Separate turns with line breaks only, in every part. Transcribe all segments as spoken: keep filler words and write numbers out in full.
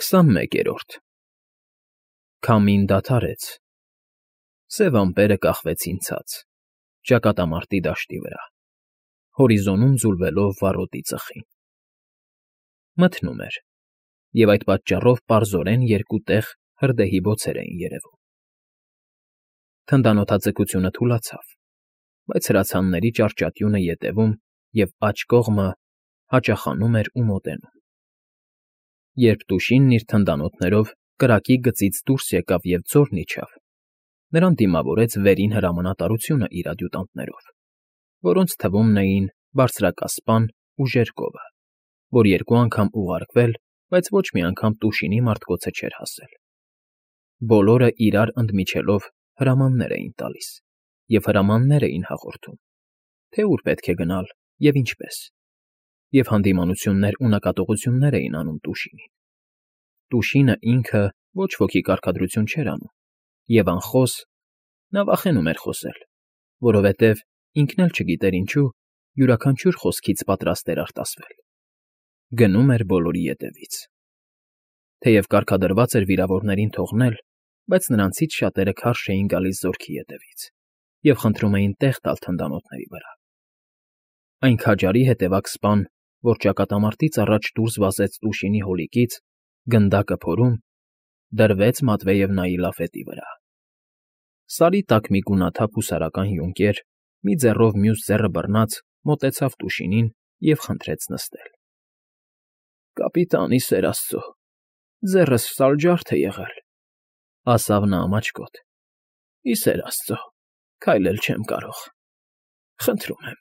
Քսանմեկերորդ Քամին դադարեց, սև ամպերը կախվեցին ցած, ճակատամարտի դաշտի վրա, հորիզոնում ձուլվելով վառոդի ծխին. մթնում էր, և այդ պատճառով պարզորեն երկու տեղ հրդեհի բոցեր էին երևում. թնդանոթաձգությունը թուլացավ, բայց հրացանների ճարճատյունը ետևում և աջ կողմը հաճախանում էր ու մոտենում. Երբ Տուշինն իր թնդանոթներով կրակի գծից դուրս եկավ և ձորն իջավ, նրան դիմավորեց վերին հրամանատարությունը իր ադյուտանտներով, որոնց թվում էին բարձրակասպան ու ժերկովը, որ երկու անգամ ուղարկվել, բայց ոչ մի անգամ Տուշինի մարտկոցը չէր հասել. բոլորը իրար ընդմիջելով հրամաններ էին տալիս և հրամաններ էին հաղորդում, թե ուր պետք է գնալ և ինչպես, և հանդիմանություններ ու նկատողություններ էին անում Տուշինին. Տուշինը ինքը ոչ ոքի կարգադրություն չէր անում, և անխոս, նա վախենում էր խոսել, որովհետև ինքն էլ չգիտեր ինչու, յուրաքանչյուր խոսքից պատրաստ էր արտասվել. գնում էր բոլորի ետևից. թեև կարգադրված էր վիրավորներին թողնել, բայց նրանցից շատերը քարշ էին գալիս զորքի ետևից և խնդրում էին տեղ տալ թնդանոթների վրա. Այն քաջարի հետևակ սպան, որ ճակատամարտից առաջ դուրս վազեց Տուշինի հոլիկից, գնդակը փորում, դրվեց Մատվեևնայի լաֆետի վրա. Սարի տակ մի գունաթափ հուսարական յունկեր, մի ձեռով մյուս ձեռը բռնած, մոտեցավ Տուշինին և խնդրեց նստել. ֊ Կապիտան, ի սեր աստծո, ձեռս սալջարդ է եղել, ֊ ասավ նա ամաչկոտ, ֊ ի սեր աստծո, քայլել չեմ կարող, խնդրում եմ…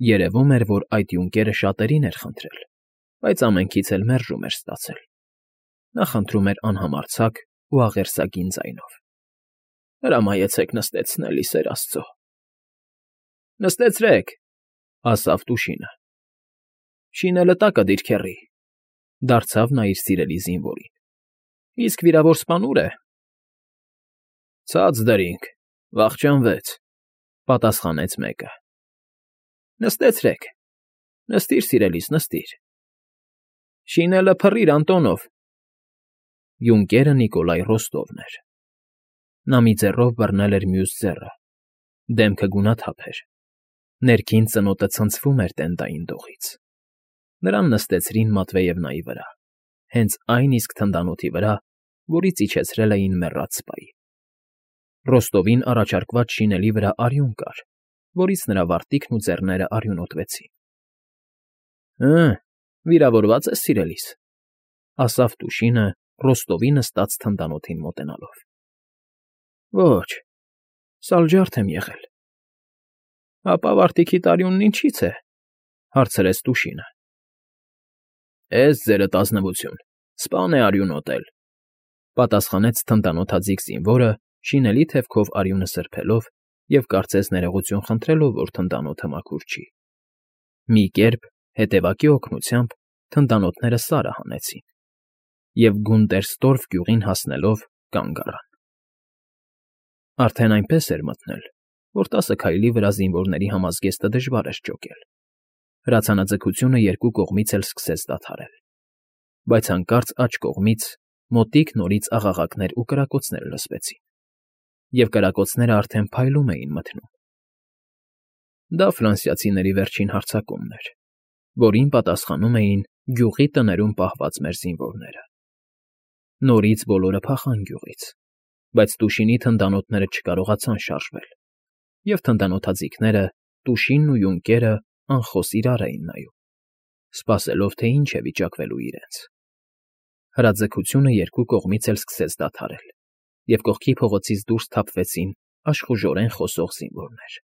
Երևում էր, որ այդ յունկերը շատերին էր խնդրել, բայց ամենքից էլ մերժում էր ստացել. նա խնդրում էր անհամարձակ ու աղերսագին ձայնով. ֊ Հրամայեցեք նստեցնել, ի սեր աստծո… ֊ Նստեցրեք, ֊ ասավ Տուշինը։ ֊ Շինելը տակը դիրքեռի, ֊ դարձավ նա իր սիրելի զինվորին։ ֊ Իսկ վիրավոր սպան ո՞ւր է։ ֊ Ցած դրինք, վախճանվեց, ֊ պատասխանեց մեկը։ ֊ Նստեցրեք, նստիր, սիրելիս, նստիր… Շինելը փռիր, Անտոնով… Յունկերը Նիկոլայ Ռոստովն էր. նա մի ձեռով բռնել էր մյուս ձեռը, դեմքը գունաթափ էր, ներքին ծնոտը ցնցվում էր տենդային դողից. նրան նստեցրին Մատվեևնայի վրա, հենց այն իսկ թնդանոթի վրա, որից իջեցրել էին մեռած սպայի. Ռոստովին առաջարկված շինելի վրա արյուն կար, որից նրա վարտիքն ու ձեռները արյունոտվեցին։ ֊ Հը, վիրավորվա՞ծ ես, սիրելիս, ֊ ասավ Տուշինը Ռոստովի նստած թնդանոթին մոտենալով։ ֊ Ոչ, սալջարդ եմ եղել։ ֊ Հապա վարտիքիդ արյունն ինչի՞ց է, ֊ հարցրեց Տուշինը։ ֊ Էս ձերդ ազնվություն, սպան է արյունոտել, ֊ պատասխանեց թնդանոթաձիգ զինվորը, շինելի թևքով արյունը սրբելով և կարծես ներողություն խնդրելով, որ թնդանոթը մաքուր չի։ Մի կերպ, հետևակի օգնությամբ, թնդանոթները սարը հանեցին և Գունդերստորֆ գյուղին հասնելով կանգ առան։ Արդեն այնպես էր մթնել, որ տասը քայլի վրա զինվորների համազգեստը դժվար էր ճոկել, հրացանաձգությունը երկու կողմից էլ սկսեց դադարել, բայց հանկարծ աջ կողմից մոտիկ նորից աղաղակներ ու կրակոցներ լսվեցին, և կրակոցներն արդեն փայլում էին մթնում. դա ֆրանսիացիների վերջին հարձակումն էր, որին պատասխանում էին գյուղի տներում պահված մեր զինվորները։ Նորից բոլորը փախան գյուղից, բայց Տուշինի թնդանոթները չկարողացան շարժվել, և թնդանոթաձիգները, Տուշինն ու յունկերը անխոս իրար էին նայում, սպասելով, թե ինչ է վիճակվելու իրենց։ Հրաձգությունը երկու կողմից էլ սկսեց դադարել, և կողքի փողոցից դուրս թափվեցին աշխուժորեն խոսող զինվորներ։ ֊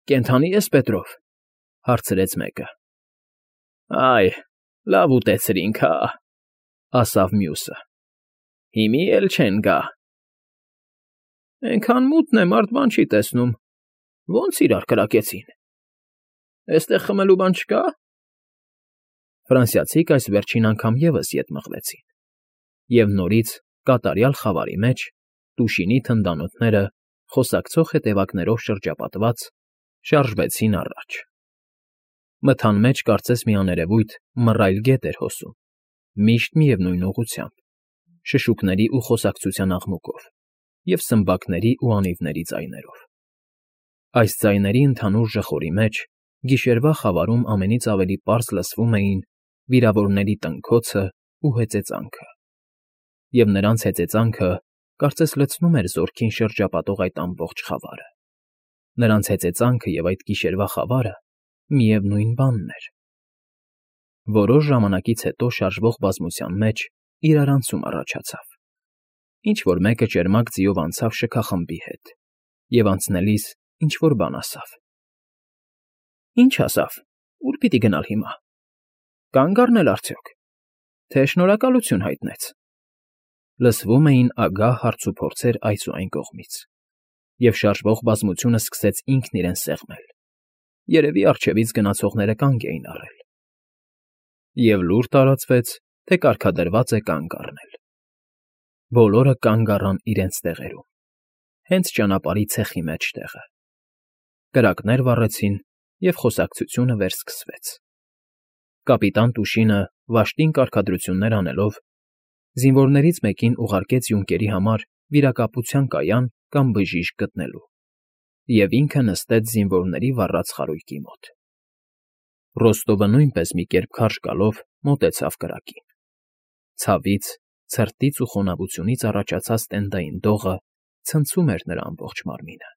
Կենդանի ե՞ս, Պետրով, ֊ հարցրեց մեկը։ ֊ Այ, լավ ուտեցրինք, հա, ֊ ասավ մյուսը։ ֊ Հիմի էլ չեն գա։ ֊ Էնքան մութն է, մարդ բան չի տեսնում, ո՞նց իրար կրակեցին։ ֊ Էստեղ խմելու բան չկա՞։ Ֆրանսիացիք այս վերջին անգամ ևս ետ մղվեցին, և նորից, կատարյալ խավարի մեջ, Տուշինի թնդանոթները, խոսակցող հետևակներով շրջապատված, շարժվեցին առաջ։ Մթան մեջ կարծես մի աներևույթ մռայլ գետ էր հոսում, միշտ միևնույն ուղղությամբ, շշուկների ու խոսակցության աղմուկով և սմբակների ու անիվների ձայներով։ Այս ձայների ընդհանուր ժխորի մեջ գիշերվա խավարում ամենից ավելի պարզ լսվում էին վիրավորների տնքոցն ու հեծեծանքը, և նրանց հեծեծանքը կարծես լցնում էր զորքին շրջապատող այդ ամբողջ խավարը։ Նրանց հեծեծանքը և այդ գիշերվա խավարը միևնույն բանն էր։ Որոշ ժամանակից հետո շարժվող բազմության մեջ իրարանցում առաջացավ։ Ինչ֊որ մեկը ճերմակ ձիով անցավ շքախմբի հետ և անցնելիս ինչ֊որ բան ասավ։ ֊ Ի՞նչ ասավ, ուր պիտի գնալ հիմա, կա՞նգ առնել արդյոք, թե շնորհակալություն հայտնեց։ Լսվում էին ագահ հարցուփորձեր այս ու այն կողմից, և շարժվող բազմությունը սկսեց ինքն իրեն սեղմել. երևի առջևից գնացողները կանգ էին առել։ Եվ լուր տարածվեց, թե կարգադրված է կանգ առնել։ Բոլորը կանգ առան իրենց տեղերում, հենց ճանապարհի ցեխի մեջտեղը։ Կրակներ վառեցին, և խոսակցությունը վերսկսվեց։ Կապիտան Տուշինը, վաշտին կարգադրություններ անելով, զինվորներից մեկին ուղարկեց յունկերի համար վիրակապության կայան կամ բժիշկ գտնելու, և ինքը նստեց զինվորների վառած խարույկի մոտ։ Ռոստովը նույնպես մի կերպ քարշ գալով մոտեցավ կրակին։ Ցավից, ցրտից ու խոնավությունից առաջացած տենդային դողը ցնցում էր նրա ամբողջ մարմինը։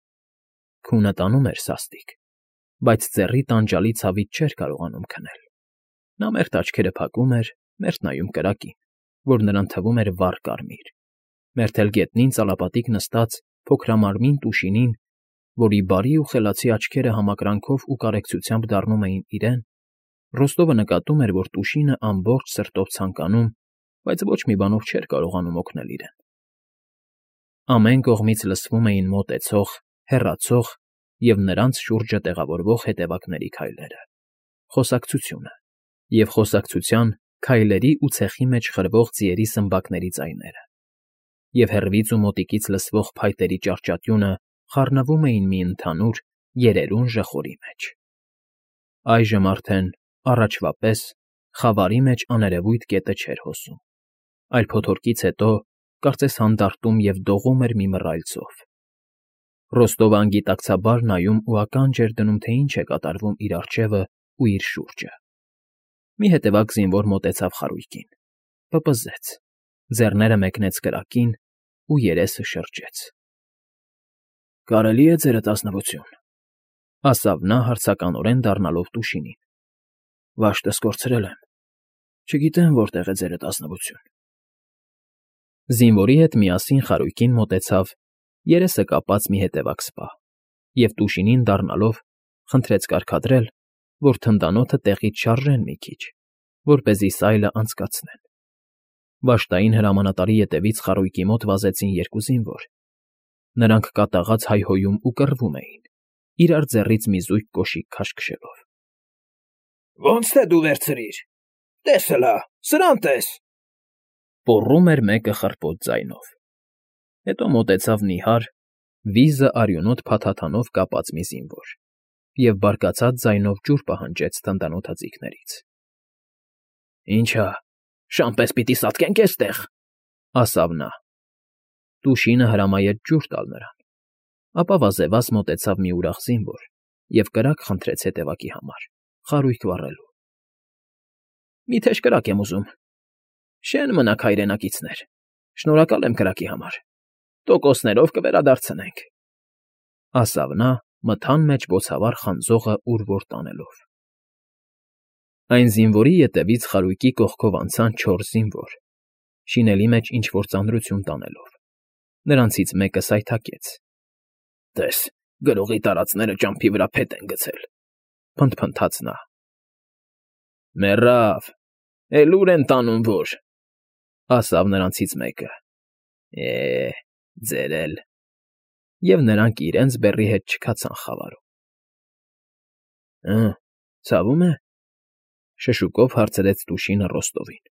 Քունը տանում էր սաստիկ, բայց ձեռի տանջալի ցավից չէր կարողանում քնել։ Նա մերթ աչքերը փակում էր, մերթ նայում կրակին, որ նրան թվում էր վառ կարմիր, մերթ էլ գետնին ծալապատիկ նստած փոքրամարմին Տուշինին, որի բարի ու խելացի աչքերը համակրանքով ու կարեկցությամբ դառնում էին իրեն, Ռոստովը նկատում էր, որ Տուշինը ամբողջ սրտով ցանկանում, բայց ոչ մի բանով չէր կարողանում օգնել իրեն։ Ամեն կողմից լսվում էին մոտեցող, հեռացող և նրանց շուրջը տեղավորվող հետևակների քայլերը, խոսակցությունը և խոսակցության, քայլերի ու ցեխի մեջ խրվող ձիերի սմբակների ձայները, և հեռվից ու մոտիկից լսվող փայտերի ճառճատյունը խառնվում էին մի ընդհանուր, երերուն ժխորի մեջ։ Այժմ արդեն, առաջվա պես, խավարի մեջ աներևույթ գետը չէր հոսում, այլ փոթորկից հետո, կարծես հանդարտում և դողում էր մի մռայլ ծով։ Ռոստովը անգիտակցաբար նայում ու ականջ էր դնում, թե ինչ է կատարվում իր առջևը ու իր շուրջը։ Մի հետևակ զինվոր մոտեցավ խարույկին, պպզեց, ձեռները մեկնեց կրակին ու երեսը շրջեց։ ֊ Կարելի՞ է, ձերդ ազնվություն,֊ ասավ նա հարցականորեն դառնալով Տուշինին։ ֊ Վաշտս կորցրել եմ, չգիտեմ որտեղ է ձերդ ազնվություն։ Զինվորի հետ միասին խարույկին մոտեցավ երեսը կապած մի հետևակ սպա և Տուշինին դառնալով խնդրեց կարգադրել, որ թնդանոթը տեղից շարժեն մի քիչ, որպեսզի սայլը անցկացնեն։ Վաշտային հրամանատարի ետևից խարույկի մոտ վազեցին երկու զինվոր։ Նրանք կատաղած հայհոյում ու կռվում էին, իրար ձեռից մի զույգ կոշիկ քաշքշելով։ ֊ Ոնց թե դու վերցրիր… Տես հլա, սրան տես,֊ պոռում էր մեկը խռպոտ ձայնով։ Հետո մոտեցավ նիհար, վիզը արյունոտ փաթաթանով կապած մի զինվոր և բարկացած ձայնով ջուր պահանջեց թնդանոթաձիգներից։ ֊ Ի՞նչ հա, շան պես պիտի սատկենք էստեղ,֊ ասավ նա։ Տուշինը հրամայեց ջուր տալ նրան, ապա վազեվազ մոտեցավ մի ուրախ զինվոր և կրակ խնդրեց հետևակի համար, խարույկ վառելու։ ֊ Մի թեժ կրակ եմ ուզում… Շեն մնաք, հայրենակիցներ, շնորհակալ եմ կրակի համար, տոկոսներով կվերադարձնենք,֊ ասավ նա, մթան մեջ բոցավառ խանձողը ուր֊որ տանելով։ Այն զինվորի ետևից խարույկի կողքով անցան չորս զինվոր, շինելի մեջ ինչ֊որ ծանրություն տանելով։ Նրանցից մեկը սայթաքեց։ ֊ Տես, գրողի տարածները ճամփի վրա փետ են գցել,֊ փնթփնթաց նա։ ֊ Մեռավ, էլ ուր են տանում որ,֊ ասավ նրանցից մեկը։ ֊ Է, ձեր էլ…֊ Եվ նրանք իրենց բեռի հետ չքացան խավարում։ ֊ Հը, ցավում է,֊ շշուկով հարցրեց Տուշինը Ռոստովին։ ֊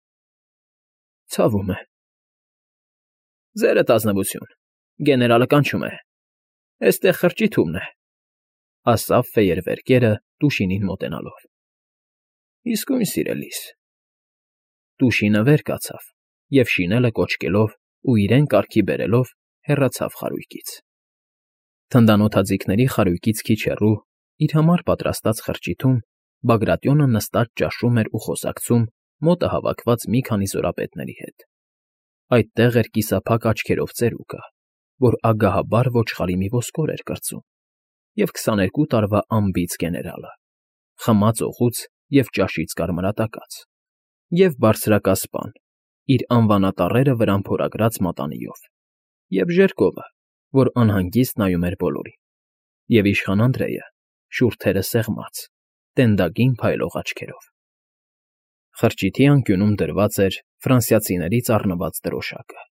Ցավում է։ ֊ Ձերդ ազնվություն, գեներալը կանչում է, էստեղ խրճիթ ումն է,֊ ասավ ֆեյերվերկերը Տուշինին մոտենալով։ Իսկույն սիրելիս։ Տուշինը վեր կացավ և շինելը կոչկելով ու իրեն կարգի բերելով հեռացավ խարույկից։ Թնդանոթաձիգների խարույկից քիչ հեռու, իր համար պատրաստած խրճիթում Բագրատյոնը նստած ճաշում էր ու խոսակցում մոտը հավաքված մի քանի զորապետների հետ։ Այդտեղ էր կիսափակ աչքերով ծերուկը, որ ագահաբար ոչխարի մի ոսկոր էր կրծում, և քսաներկու տարվա անբիծ գեներալը, խմած օղուց և ճաշից կարմրատակած, և բարձրակասպան, իր անվանատառերը վրան փորագրած մատանիով, և Ժերկովը, որ անհանգիստ նայում էր բոլորին, և իշխան Անդրեյը, շուրթերը սեղմած, տենդագին փայլող աչքերով։ Խրճիթի անկյունում դրված էր ֆրանսիացիներից առնված դրոշակը։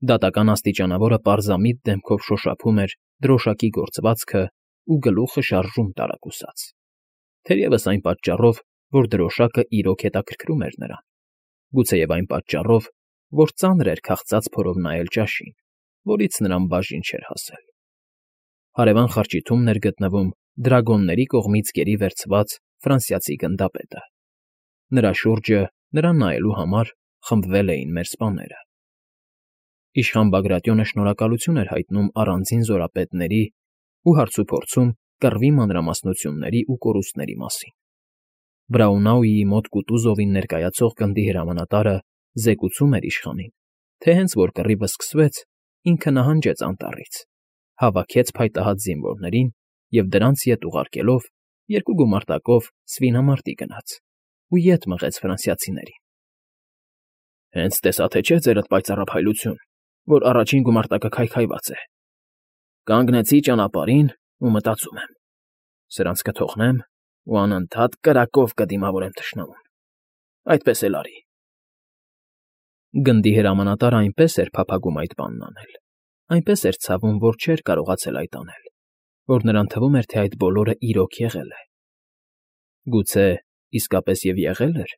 Դատական աստիճանավորը պարզամիտ դեմքով շոշափում էր դրոշակի գործվածքը ու գլուխը շարժում տարակուսած, թերևս այն պատճառով, որ դրոշակը իրոք հետաքրքրում էր նրան, գուցեև այն պատճառով, որ ծանր էր քաղցած փորով նայել ճաշին, որից նրան բաժին չէր հասել։ Հարևան խրճիթումն էր գտնվում դրագոնների կողմից գերի վերցված ֆրանսիացի գնդապետը։ Նրա շուրջը, նրան նայելու համար, խմբվել էին մեր սպաները։ Իշխան Բագրատյոնը շնորհակալություն էր հայտնում առանձին զորապետների ու հարցուփորձում կռվի մանրամասնությունների ու կորուստների մասին։ Բրաունաուի մոտ Կուտուզովին ներկայացող գնդի հրամանատարը զեկուցում էր իշխանին, թե հենց որ կռիվը սկսվեց, ինքը նահանջեց անտառից, հավաքեց փայտահատ զինվորներին և դրանց ետ ուղարկելով, երկու գումարտակով Սվինամարտի գնաց ու ետ մղեց ֆրանսիացիներին։ Հենց տեսա թե չէ ձերդ պայծառափայլություն, որ առաջին գումարտակը քայքայված է։ Կանգնեցի ճանապարհին ու մտածում եմ. սրանց կթողնեմ ու անընդհատ կրակով կդիմավորեմ թշնամուն։ Այդպես էլ արի։ Գնդի հրամանատարը այնպես էր փափագում այդ բանն անել, այնպես էր ցավում, որ չէր կարողացել այդ անել, որ նրան թվում էր, թե այդ բոլորը իրոք եղել է։ Գուցե իսկապես և եղել էր։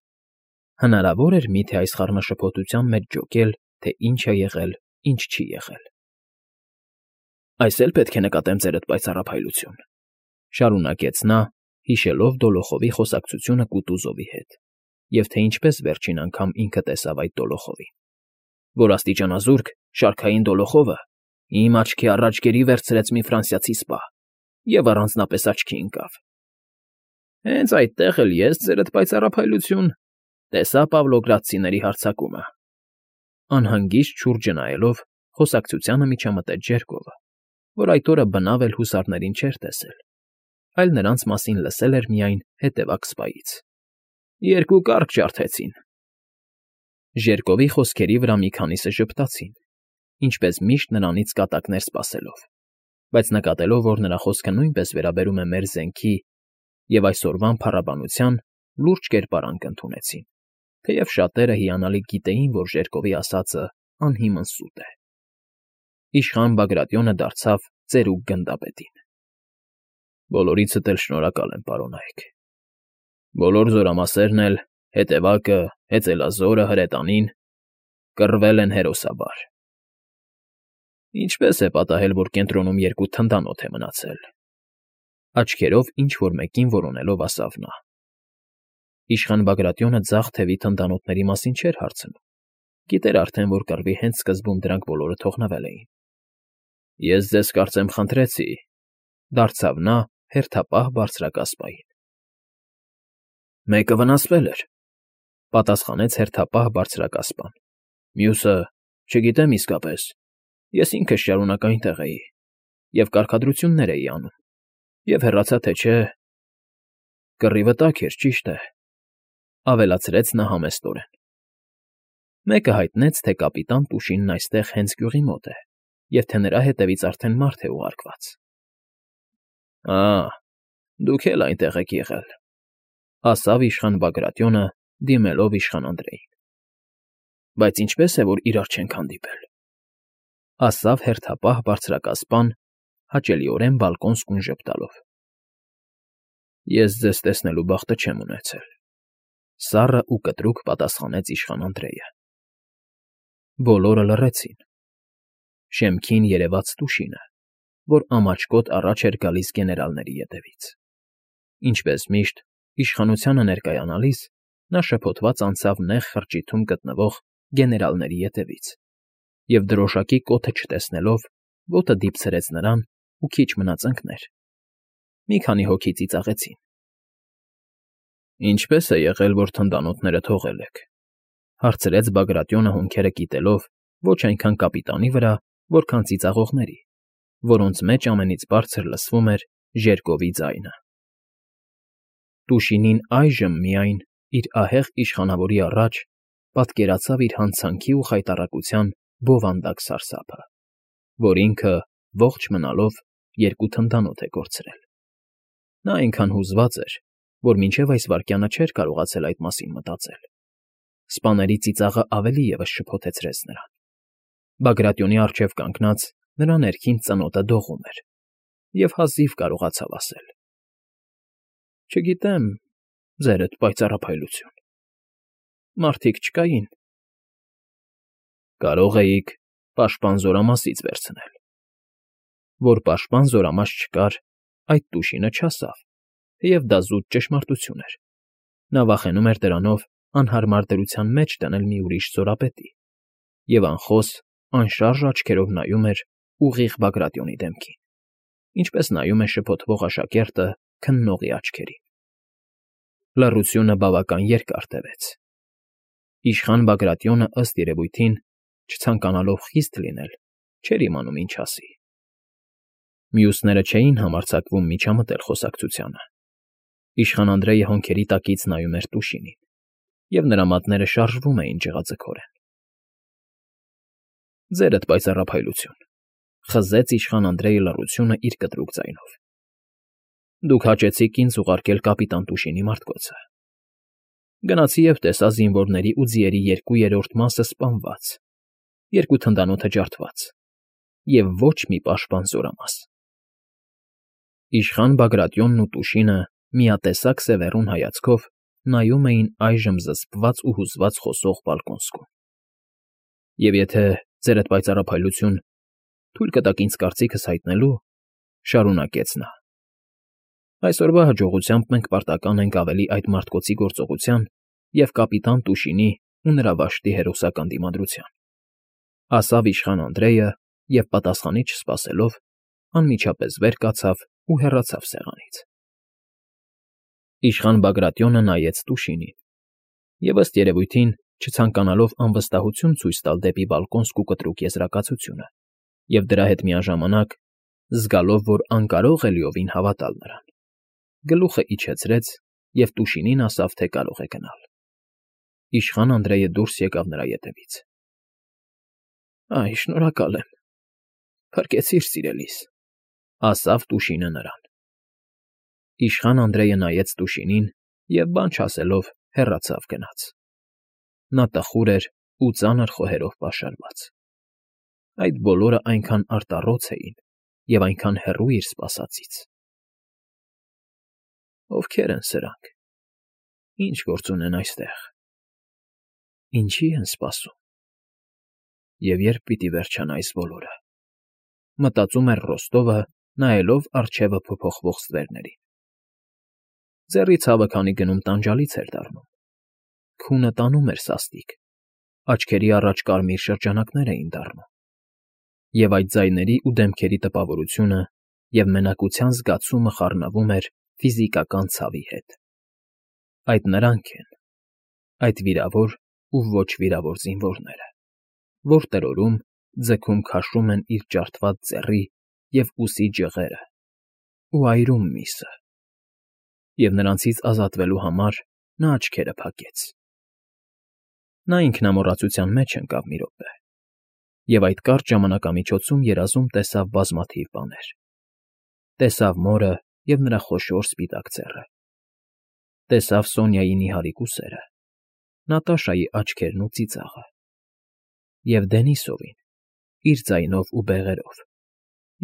Հնարավոր էր միթե այս խառնաշփոթության մեջ ջոկել, թե ինչ է եղել, ինչ չի եղել։ Այս էլ պետք է նկատեմ ձերդ պայծառափայլություն, շարունակեց նա, հիշելով Դոլոխովի խոսակցությունը Կուտուզովի հետ, և թե ինչպես վերջին անգամ ինքը տեսավ այդ Դոլոխովին, որ աստիճանազուրկ շարքային Դոլոխովը իմ աչքի առաջ գերի վերցրեց մի ֆրանսիացի սպա և առանձնապես աչքի ընկավ։ Հենց այդտեղ էլ ես, ձերդ պայծառափայլություն, տեսա Պավլոգրադցիների հարձակումը։ Անհանգիստ շուրջը նայելով խոսակցությանը միջամտեց Ժերկովը, որ այդ օրը բնավ էլ հուսարներին չէր տեսել, այլ նրանց մասին լսել էր միայն հետևակ սպայից։ Երկու կառք ջարդեցին։ Ժերկովի խոսքերի վրա մի քանիսը ժպտացին, ինչպես միշտ նրանից կատակներ սպասելով, բայց նկատելով, որ նրա խոսքը նույնպես վերաբերում է մեր զենքի և այսօրվան փառաբանության, լուրջ կերպարանք ընդունեցին, թեև շատերը հիանալի գիտեին, որ Ժերկովի ասածը անհիմն սուտ է։ Իշխան Բագրատյոնը դարձավ ծերուկ գնդապետին։ Բոլորիցդ էլ շնորհակալ եմ, պարոնայք։ Բոլոր զորամասերն էլ, հետևակը, հեծելազորը, հրետանին, կռվել են հերոսաբար։ Ինչպես է պատահել, որ կենտրոնում երկու թնդանոթ է մնացել։ Աչքերով ինչ֊որ մեկին որոնելով ասավ նա։ Իշխան Բագրատյոնը ձախ թևի թնդանոթների մասին չէր հարցնում, գիտեր արդեն, որ կռվի հենց սկզբում դրանք բոլորը թողնվել էին։ Ես ձեզ կարծեմ խնդրեցի, դարձավ նա հերթապահ բարձրակասպային։ Մեկը վնասվել էր, պատասխանեց հերթապահ բարձրակասպան։ Մյուսը, չգիտեմ իսկապես, ես ինքս շարունակ այնտեղ էի և կարգադրություններ էի անում, և հեռացա թե չէ… Կռիվը տաք էր, ճիշտ է, ավելացրեց նա համեստորեն։ Մեկը հայտնեց, թե կապիտան Տուշինն այստեղ հենց գյուղի մոտ է, և թե նրա հետևից արդեն մարդ է ուղարկված։ Ա՜, դուք էլ այնտեղ եք եղել, ասավ իշխան Բագրատյոնը, դիմելով իշխան Անդրեյին։ Բայց ինչպե՞ս է, որ իրար չենք հանդիպել, ասավ հերթապահ բարձրակասպան, հաճելիորեն բալկոնսկուն ժպտալով։ Ես ձեզ տեսնելու բախտը չեմ ունեցել, սառը ու կտրուկ պատասխանեց իշխան Անդրեյը։ Բոլորը լռեցին։ Շեմքին երևաց Տուշինը, որ ամաչկոտ առաջ էր գալիս գեներալների ետևից։ Ինչպես միշտ, Իշխանությանը ներկայանալիս նա շփոթված անցավ նեղ խրճիթում գտնվող գեներալների ետևից և, դրոշակի կոթը չտեսնելով, ոտը դիպցրեց նրան ու քիչ մնաց ընկներ։ Մի քանի հոգի ծիծաղեցին։ ֊ Ինչպե՞ս է եղել, որ թնդանոթները թողել եք,֊ հարցրեց Բագրատյոնը հոնքերը կիտելով ոչ այնքան կապիտանի վրա, որքան ծիծաղողների, որոնց մեջ ամենից բարձր լսվում էր ժերկովի ձայնը։ Տուշինին այժմ միայն, իր ահեղ իշխանավորի առաջ, պատկերացավ իր հանցանքի ու խայտառակության բովանդակ սարսափը, որ ինքը, ողջ մնալով, երկու թնդանոթ է կորցրել։ Նա այնքան հուզված էր, որ մինչև այս վայրկյանը չէր կարողացել այդ մասին մտածել։ Սպաների ծիծաղը ավելի ևս շփոթեցրեց նրան։ Բագրատյոնի առջև կանգնած նրա ներքին ծնոտը դողում էր, և հազիվ կարողացավ ասել. ֊ Չգիտեմ, Ձերդ պայծառափայլություն… Մարդիկ չկային… ֊ Կարող էիք պաշտպան զորամասից վերցնել… Որ պաշտպան զորամաս չկար, այդ Տուշինը չասավ, թեև դա զուտ ճշմարտություն էր. նա վախենում էր դրանով անհարմար դրության մեջ դնել մի ուրիշ զորապետի և անխոս, անշարժ աչքերով նայում էր ուղիղ Բագրատյոնի դեմքին, ինչպես նայում է շփոթվող աշակերտը քննողի աչքերին։ Լռությունը բավական երկար տևեց։ Իշխան Բագրատյոնը, ըստ երևույթին, չցանկանալով խիստ լինել, չէր իմանում ինչ ասի։ Մյուսները չէին համարձակվում միջամտել խոսակցությանը։ Իշխան Անդրեյը հոնքերի տակից նայում էր Տուշինին, և նրա մատները շարժվում էին ջղաձգորեն։ ֊ Ձերդ պայծառափայլություն,֊ խզեց իշխան Անդրեյը լռությունը իր կտրուկ ձայնով։ Դուք հաճեցիք ինձ ուղարկել կապիտան Տուշինի մարտկոցը։ Գնացի և տեսա զինվորների ու ձիերի երկու երրորդ մասը սպանված, երկու թնդանոթը ջարդված, և ոչ մի պաշտպան զորամաս։ Իշխան Բագրատյոնն ու Տուշինը միատեսակ սևեռուն հայացքով նայում էին այժմ զսպված ու հուզված խոսող Բալկոնսկուն։ ֊ Եվ եթե, Ձերդ պայծառափայլություն, թույլ կտաք ինձ կարծիքս հայտնելու,֊ շարունակեց նա,֊ այսօրվա հաջողությամբ մենք պարտական ենք ավելի այդ մարտկոցի գործողության և կապիտան Տուշինի ու նրա վաշտի հերոսական դիմադրության,֊ ասավ իշխան Անդրեյը և, պատասխանի չսպասելով, անմիջապես վեր կացավ ու հեռացավ սեղանից։ Իշխան Բագրատյոնը նայեց Տուշինին և, ըստ երևույթին, չցանկանալով անվստահություն ցույց տալ դեպի Բալկոնսկու կտրուկ եզրակացությունը և դրա հետ միաժամանակ, զգալով, որ անկարող է լիովին հավատալ նրան, գլուխը իջեցրեց և Տուշինին ասավ, թե կարող է գնալ։ Իշխան Անդրեյը դուրս եկավ նրա ետևից։ ֊ Այ, շնորհակալ եմ, փրկեցիր սիրելիս,֊ ասավ Տուշինը նրան։ Իշխան Անդրեյը նայեց Տուշինին և, բան չասելով, հեռացավ գնաց։ Նա տխուր էր ու ծանր խոհերով պաշարված։ Այդ բոլորը այնքան արտառոց էին և այնքան հեռու իր սպասածից։ Ովքե՞ր են սրանք, ինչ գործ ունեն այստեղ, ինչի են սպասում, և ե՞րբ պիտի վերջանա այս բոլորը,֊ մտածում էր Ռոստովը, նայելով առջևը փոփոխվող ստվերներին։ Ձեռի ցավը քանի գնում տանջալից էր դառնում։ Քունը տանում էր սաստիկ, աչքերի առաջ կարմիր շրջանակներ էին դառնում, և այդ ձայների ու դեմքերի տպավորությունը և մենակության զգացումը խառնվում էր ֆիզիկական ցավի հետ։ Այդ նրանք են, այդ վիրավոր ու ոչ վիրավոր զինվորները, որ տրորում, ձգում քաշում են իր ջարդված ձեռի և ուսի ջղերը ու այրում միսը, և նրանցից ազատվելու համար նա աչքերը փակեց։ Նա ինքնամոռացության մեջ ընկավ մի րոպե և այդ կարճ ժամանակամիջոցում երազում տեսավ բազմաթիվ բաներ. տեսավ մորը և նրա խոշոր սպիտակ ձեռը, տեսավ Սոնյայի նիհարիկ ուսերը, Նատաշայի աչքերն ու ծիծաղը, և Դենիսովին, իր ձայնով ու բեղերով,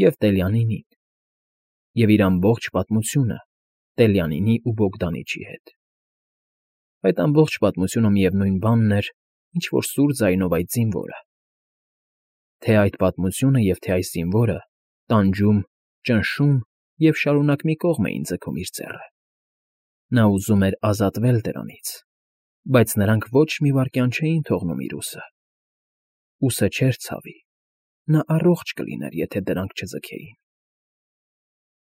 և Տելյանինին, և իր ամբողջ պատմությունը Տելյանինի ու Բոգդանիչի հետ։ Այդ ամբողջ պատմությունը միևնույն բանն էր, ինչ֊որ սուր ձայնով այդ զինվորը… Թե այդ պատմությունը և թե այս զինվորը տանջում, ճնշում և շարունակ մի կողմ էին ձգում իր ձեռը։ Նա ուզում էր ազատվել դրանից, բայց նրանք ոչ մի վայրկյան չէին թողնում իր ուսը։ Ուսը չէր ցավի, նա առողջ կլիներ, եթե դրանք չձգեին։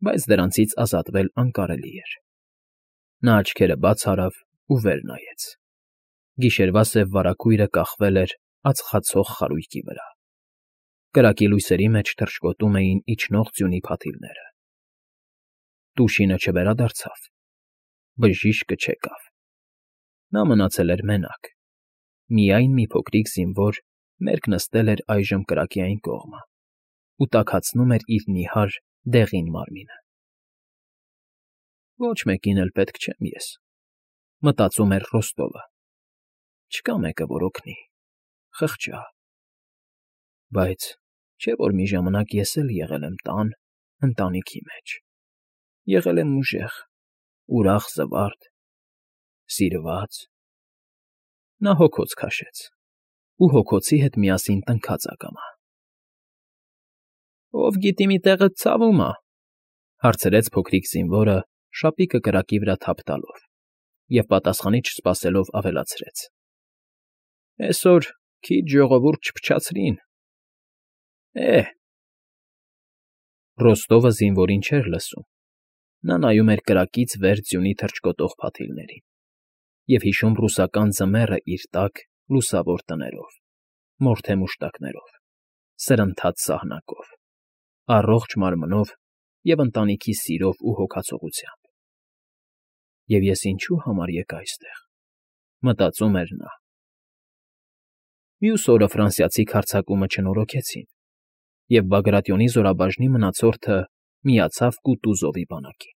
Բայց դրանցից ազատվել անկարելի էր։ Նա աչքերը բաց արավ ու վեր նայեց։ Գիշերվա սև վարագույրը կախվել էր ածխացող խարույկի վրա։ Կրակի լույսերի մեջ թռչկոտում էին իջնող ձյունի փաթիլները։ Տուշինը չվերադարձավ։ Բժիշկը չեկավ։ Նա մնացել էր մենակ։ Միայն մի փոքրիկ զինվոր մերկ նստել էր այժմ կրակի այն կողմը ու տաքացնում էր իր նիհար, դեղին մարմինը։ Ոչ մեկին էլ պետք չեմ ես, մտածում էր Ռոստովը։ Չկա մեկը, որ օգնի, խղճա։ Բայց չէ՞ որ մի ժամանակ ես էլ եղել եմ տան, ընտանիքի մեջ, եղել եմ ուժեղ, ուրախ, զվարթ, սիրված։ Նա հոգոց քաշեց ու հոգոցի հետ միասին տնքաց ակամա։ ֊ Ով գիտի մի տեղը ցավում ա,֊ հարցրեց փոքրիկ զինվորը շապիկը կրակի վրա թափ տալով և պատասխանի չսպասելով ավելացրեց. Էսօր քիչ ժողովուրդ չփչացրին։ Է՜… Ռոստովը զինվորին չէր լսում։ Նա նայում էր կրակից վեր ձյունի թռչկոտող փաթիլներին և հիշում ռուսական ձմեռը իր տակ լուսավոր տներով, մորթե մուշտակներով, սրընթաց սահնակով, առողջ մարմնով և ընտանիքի սիրով ու հոգացողությամբ։ «Եվ ես ինչու համար եկա այստեղ,֊ մտածում էր նա»։ Մյուս օրը ֆրանսիացի հարձակումը չնորոգեցին, և Բագրատիոնի զորաբաժնի մնացորդը միացավ Կուտուզովի բանակին։